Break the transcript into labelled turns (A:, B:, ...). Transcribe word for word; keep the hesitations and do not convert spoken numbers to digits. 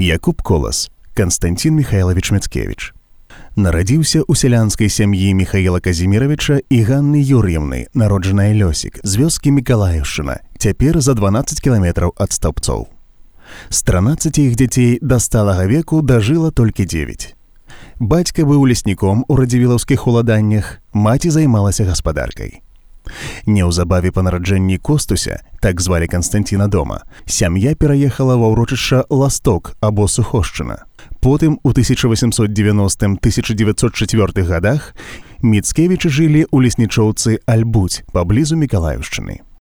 A: Якуб Колас, Канстантин Михайлович Мицкевич. Нарадзіўся ў сялянскай сям'і Михаіла Казіміравіча і Ганны Юр'евны, народжаная Лёсік, з вёскі Мікалаеўшчына, цяпер за дванаццаць кіламетраў ад Стаўбцоў. З трынаццаці іх дзяцей да сталага веку дажыла толькі дзевяць. Бацька быў лесніком у радзівілаўскіх уладаннях, маці займалася гаспадаркай. Неўзабаве па нараджэнні Костуся, так звалі Канстанціна дома, сям'я пераехала ва ўрочышча Ласток або Сухошчына. Потым у тысяча васемсот дзевяностым - тысяча дзевяцьсот чацвёртых гадах Міцкевічы жылі ў леснічоўцы Альбуць паблізу Мікалаеўшчыны.